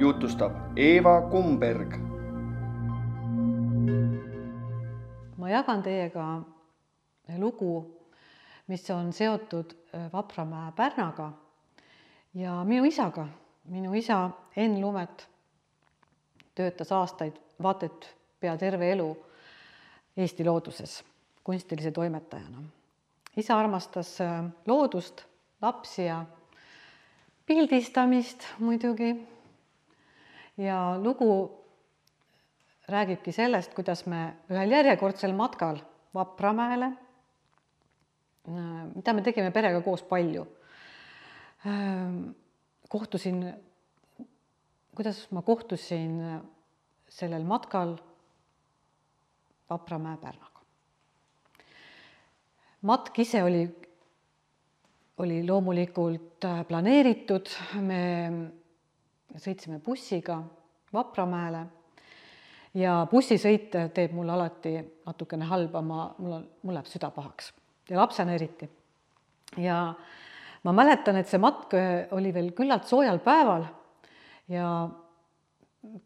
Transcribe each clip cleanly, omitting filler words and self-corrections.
jutustab Eeva Kumberg. Ma jagan teiega lugu, mis on seotud Vapramäe Pärnaga ja minu isaga. Minu isa Enn Lumet töötas aastaid, vaat et pea terve elu Eesti looduses kunstilise toimetajana. Isa armastas loodust, lapsi ja pildistamist muidugi. Ja lugu räägibki sellest, kuidas me ühel järjekordsel matkal Vapramäele, mida me tegime perega koos palju, kuidas ma kohtusin sellel matkal Vapramäe Pärnaga. Matk ise oli loomulikult planeeritud, me sõitsime bussiga Vapramäele ja bussisõit teeb mulle alati natukene halba, mul läheb süda pahaks ja lapsena eriti. Ja ma mäletan, et see matk oli veel küllalt soojal päeval ja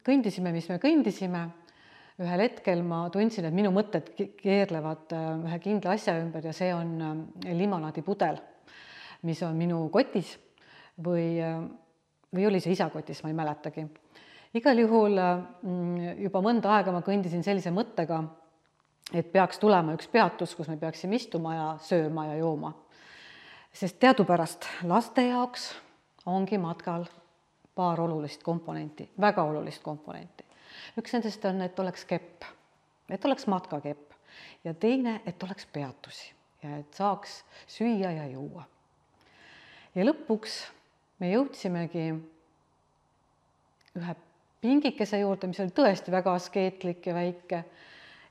kõndisime, mis me kõndisime. Ühel hetkel ma tundsin, et minu mõtted keerlevad ühe kindla asja ümber ja see on limonaadipudel, mis on minu kotis või oli see isa kotis, ma ei mäletagi. Igal juhul juba mõnda aega ma kõndisin sellise mõttega, et peaks tulema üks peatus, kus me peaksime istuma ja sööma ja jooma. Sest teadupärast laste jaoks ongi matkal paar olulist komponenti, väga olulist komponenti. Üks nendest on, et oleks kepp, et oleks matkakepp ja teine, et oleks peatusi ja et saaks süüa ja juua. Ja lõpuks me jõudsimegi ühe pingikese juurde, mis oli tõesti väga askeetlik ja väike.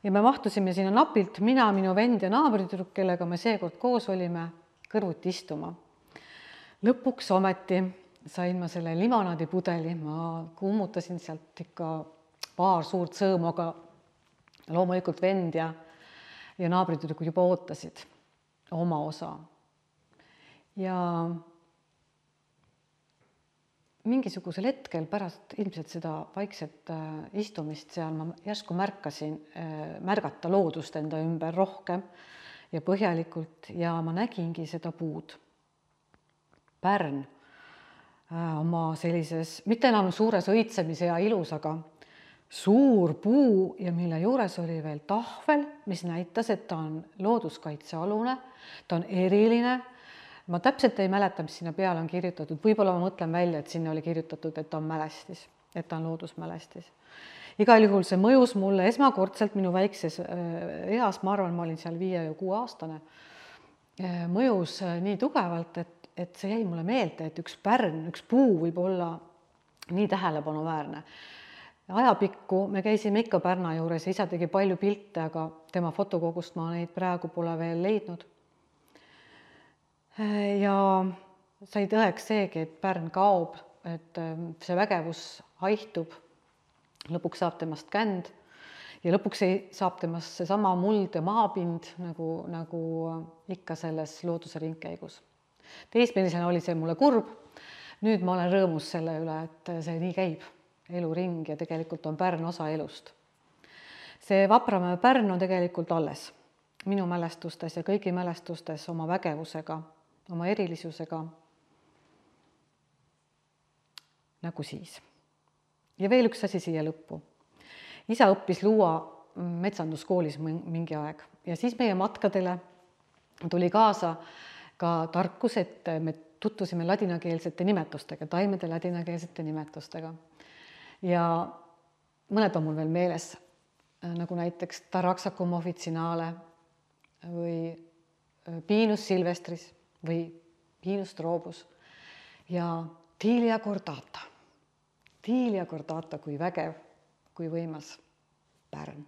Ja me mahtusime sinna napilt, mina, minu vend ja naabritüdruk, kellega me seekord koos olime, kõrvuti istuma. Lõpuks ometi sain ma selle limonaadipudeli, ma kummutasin sealt ikka paar suurt sõõmu, aga loomulikult vend ja naabritüdrukud juba ootasid oma osa. Ja mingisugusel hetkel pärast ilmselt seda vaikset istumist seal ma järsku märkasin märgata loodust enda ümber rohkem ja põhjalikult ja ma nägingi seda puud. Pärn oma sellises, mitte enam suures õitsemise ja ilus, aga suur puu ja mille juures oli veel tahvel, mis näitas, et ta on looduskaitsealune, ta on eriline. Ma täpselt ei mäleta, mis sinna peale on kirjutatud. Võib-olla ma mõtlen välja, et sinna oli kirjutatud, et ta on mälestis, et ta on loodusmälestis. Igal juhul see mõjus mulle esmakordselt minu väikses eas, ma arvan, ma olin seal 5 ja 6 aastane, mõjus nii tugevalt, et see jäi mulle meelde, et üks pärn, üks puu võib olla nii tähelepanuväärne. Ajapikku me käisime ikka Pärna juures ja isa tegi palju pilte, aga tema fotokogust ma neid praegu pole veel leidnud. Ja sai tõeks seegi, et Pärn kaob, et see vägevus haihtub, lõpuks saab temast känd ja lõpuks saab temast seesama muld ja maapind nagu ikka selles looduse ringkäigus. Teismelisena oli see mulle kurb, nüüd ma olen rõõmus selle üle, et see nii käib, eluring ja tegelikult on Pärn osa elust. See Vapramäe Pärn on tegelikult alles minu mälestustes ja kõigi mälestustes oma vägevusega, oma erilisusega nagu siis. Ja veel üks asi siia lõppu. Isa õppis luua metsanduskoolis mingi aeg ja siis meie matkadele tuli kaasa ka tarkus, et me tutvusime ladinakeelsete nimetustega, taimede ladinakeelsete nimetustega. Ja mõned on mul veel meeles, nagu näiteks Taraxacum officinale või Pinus silvestris või Pinus strobus ja Tilia cordata. Tilia cordata kui vägev, kui võimas Pärn.